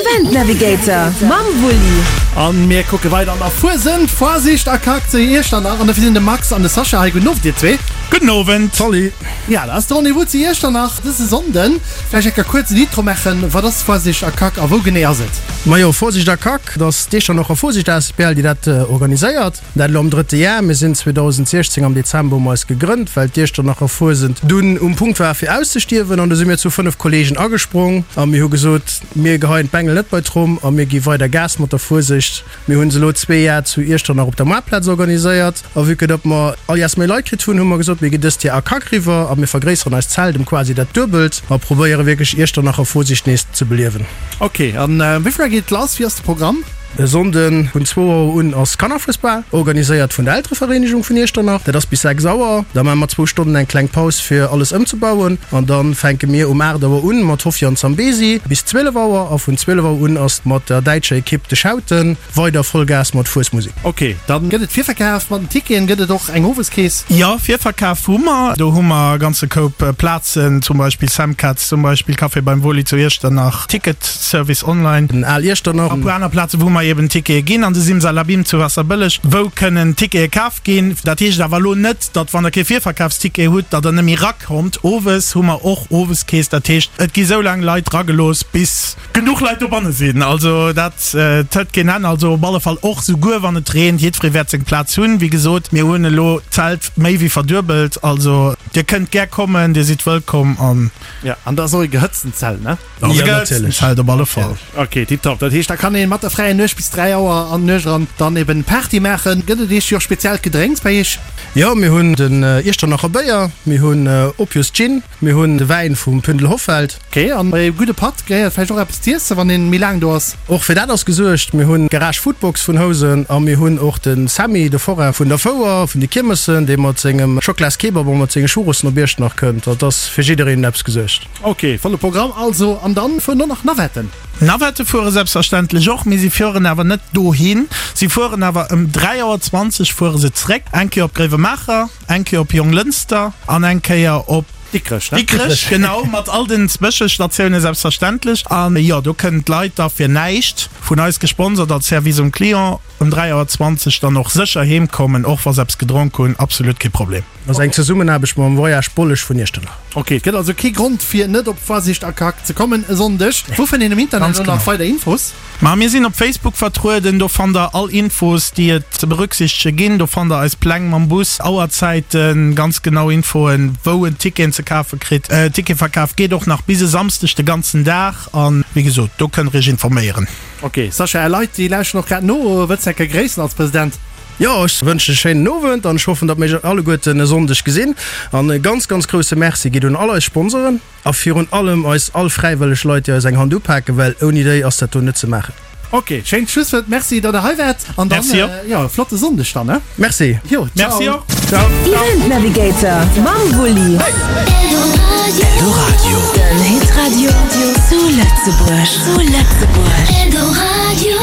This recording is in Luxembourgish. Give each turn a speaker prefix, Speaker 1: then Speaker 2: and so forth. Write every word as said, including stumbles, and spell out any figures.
Speaker 1: Event Navigator mam Wulli.
Speaker 2: An mir kucke weider an der Fuesent, Foisicht a Kak zu Iechternach. An dofir sinn de Max an de Sascha hei. Gudden Owend dir zwee.
Speaker 3: Gudden Owend.
Speaker 4: Salut.
Speaker 2: Ja, dat ass de Rendez-vous zu Iechternach dëse Sonnden. Vläicht eng Kéier kuerz en Intro maachen. Wat ass Foisicht a Kak a wou genee ass et?
Speaker 4: Majo, Foisicht a Kak, dat ass d'Iechternacher Foisicht asbl, déi dat organiséiert. Dat elo am drëtte Jar. Mir sinn zweedausendsechzéng am Dezember hu mer eis gegrënnt, well d'Iechternacher Fuesent dunn um Punkt war fir auszestierwen. An du si mir zu fënnef Kollegen agesprong a mir hu gesot, mir geheien d'Bengel net bei d'Tromm a mir gi weider Gas mat der Fuesecht. Mir hu se elo zwee Jar zu Iechternach op der Moartplaz organiséiert. A vue que datt mer all Jars méi Leit kritt hunn, hu mer gesot, mir ginn dëst Jar a Kak riwwer a mir vergréisseren eist Zelt ëm quasi dat Duebelt a probéiere wierklech Iechternacher Fuesicht nees ze beliewen.
Speaker 2: Ok, an wéi vill Auer geet et lass? Wéi ass de Programm?
Speaker 4: E Sonnden vun zwou Auer un ass Kannerfuesbal, organiséiert vun der Elterevereenegung vun Iechternach. Dat ass bis sechs Auer. Da maache mer zwou Stonnen eng kleng Paus fir alles ëmzebauen an da fänke mir um aacht Auer un mat Hoffi an Zambesi bis zwielef Auer a vun zwielef Auer un ass mat der däitscher Ekipp de Schauten weider Vollgas mat Fuesmusek.
Speaker 2: Ok, dann gëtt et Virverkaf mat den Ticketen. Gëtt et och eng Oweskeess?
Speaker 3: Jo, Virverkaf hu mer. Do hu mer e ganze Koup Plazen, zum Beispill Samcats, zum Beispill Café beim Woli zu Iechternach, Ticketservice online.
Speaker 4: Den Al Iechternach.
Speaker 3: A puer aner Plazen, wou mer eben Tickete ginn. An de Simsalabim zu Waasserbëlleg, wou kënnen Tickete kaf ginn. Dat heescht awer elo net, datt wann der kee Virverkafsticket hutt, datt der net méi rakommt. Owes hu mer och Oweskeess. Dat heescht, et gi sou laang Leit ragelooss, bis genuch Leit dobanne sinn. Also dat hëlt keen Enn. Also op alle Fall och souguer wann et reent, jiddweree wäert seng Plaz hunn. Wéi gesot, mir hunn elo d'Zelt méi wéi verduebelt. Also dir kënnt gär kommen, dir sidd wëllkomm an.
Speaker 2: Jo, an dat ass och e gehëtztent Zelt, ne?
Speaker 3: Ja, natierlech. Zelt op alle Fall.
Speaker 2: Ok, tiptop. Dat heescht, da kann een mat der fräier Nuecht bis dräi Auer an d'Nuecht eran dann eben Party maachen. Gëtt et iech jo och speziellt Gedrénks bei iech?
Speaker 4: Jo, mir hunn den Iechternacher Béier, mir hunn Opius Gin, mir hunn de Wäin vum Pündel Hoffeld.
Speaker 2: Ok, an bei e gudde Patt gehéiert vläicht och eppes z'iessen, wann een méi laang do ass?
Speaker 4: Och fir dat ass gesuergt. Mir hunn d'Garage Foodbox vun Housen a mir hunn och de Sammy, de Forain vun der Fouer, vun de Kiermessen, dee mat sengem Schocklas-Kebab a mat senge Churrosen op Iechternach kënnt. Dat ass fir jiddereen eppes gesuergt.
Speaker 2: Ok, volle Programm also. An dann fueren och nach Navetten?
Speaker 3: Navette fuere selbstverständlech och, mee si fueren awer net dohin. Si fueren awer ëm dräi Auer zwanzeg fuere se zréck, eng Kéier op Gréiwemaacher, eng Kéier op Jonglënster an eng Kéier op
Speaker 2: Dikrech, ne?
Speaker 3: Dikrech, genau, mat all den Zwëschestatioune selbstverständlech. An jo, do kënnen d'Leit da fir näischt, vun eis gesponsert als Service um Client, ëm dräi Auer zwanzeg dann och sécher heem kommen, och wa se eppes gedronk hunn, absolut kee Problem.
Speaker 4: Ass eng Zesummenaarbecht mam Voyage Bolleg vun Iechternach.
Speaker 2: Ok, et gëtt also kee Grond fir net op Foisicht a Kak ze kommen e Sonndeg. Wou fënnt een am Internet
Speaker 3: Ganz
Speaker 2: elo nach
Speaker 3: genau.
Speaker 2: weider Infos?
Speaker 3: Ma mir sinn op Facebook vertrueden, do fannt der all Infos déi et ze berücksichtege ginn. Do fannt der eis Pläng mam Bus, Auerzäiten, ganz genau Infoen wou en Ticketen ze kafe kritt. Ticketverkaf geet och nach bis e Samsdeg de ganzen Dag an wéi gesot do kënnt der iech informéieren.
Speaker 2: Ok, Sascha, är Leit déi lauschten och grad no. Wëlls de eng Kéier gréissen als President?
Speaker 4: Jo, ech wënschen e schéinen Owend an ech hoffen, datt mir iech alleguerten e Sonndeg gesinn. An e ganz, ganz grousse Merci geet un all eis Sponsoren a virun allem eis all fräiwëlleg Leit, déi eis eng Hand upaken, well ouni déi ass dat do net ze maachen.
Speaker 2: Ok, schéint Schlusswuert. Merci, datt der hei waart an dann,
Speaker 3: Merci och.
Speaker 2: jo, e flotte Sonndeg dann, ne?
Speaker 4: Merci.
Speaker 2: Jo, ciao.
Speaker 3: Merci och.
Speaker 4: Ciao.
Speaker 1: Event Navigator mam Wulli.
Speaker 5: Eldoradio.
Speaker 1: Den Hitradio zu Lëtzebuerg. Zu Lëtzebuerg.
Speaker 5: Eldoradio.